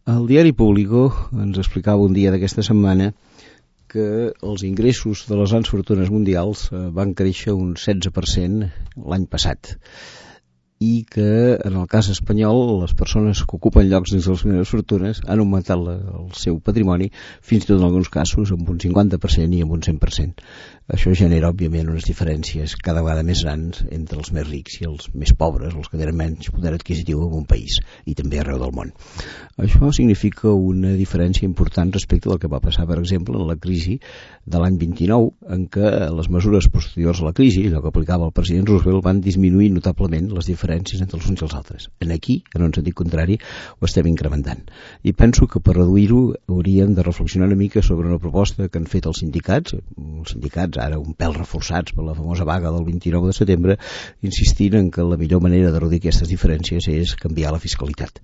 El diari Público ens explicava un dia d'aquesta setmana que els ingressos de les grans fortunes mundials van créixer un 16% l'any passat i que en el cas espanyol les persones que ocupen llocs dins de les grans fortunes han augmentat el seu patrimoni fins i tot en alguns casos amb un 50% i amb un 100%. Això genera òbviament unes diferències cada vegada més grans entre els més rics i els més pobres, els que tenen menys poder adquisitiu en un país i també arreu del món. Això significa una diferència important respecte del que va passar, per exemple, en la crisi de l'any 29, en què les mesures posteriors a la crisi, allò que aplicava el president Roosevelt, van disminuir notablement les diferències entre els uns i els altres. En aquí, en un sentit contrari, ho estem incrementant. I penso que per reduir-ho hauríem de reflexionar una mica sobre una proposta que han fet els sindicats ara un pèl reforçats per la famosa vaga del 29 de setembre, insistint en que la millor manera de reduir aquestes diferències és canviar la fiscalitat,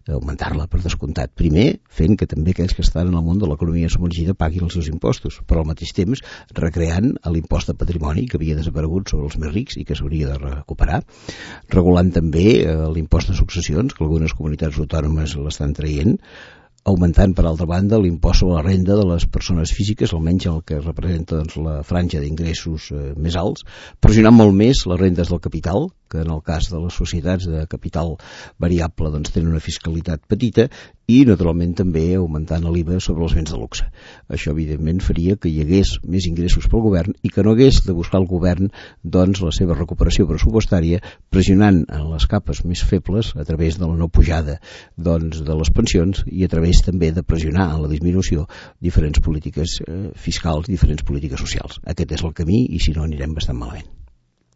augmentar-la per descomptat. Primer, fent que també aquells que estan en el món de l'economia submergida paguin els seus impostos, però al mateix temps recreant l'impost de patrimoni que havia desaparegut sobre els més rics i que s'hauria de recuperar, regulant també l'impost de successions, que algunes comunitats autònomes l'estan traient, augmentant, per altra banda, l'impost sobre la renda de les persones físiques, almenys el que representa la franja d'ingressos més alts, pressionant molt més les rendes del capital, que en el cas de les societats de capital variable tenen una fiscalitat petita, i naturalment també augmentant l'IVA sobre els béns de luxe. Això evidentment faria que hi hagués més ingressos pel govern i que no hagués de buscar el govern la seva recuperació pressupostària pressionant en les capes més febles a través de la no pujada de les pensions i a través també de pressionar en la disminució diferents polítiques fiscals i diferents polítiques socials. Aquest és el camí i si no anirem bastant malament.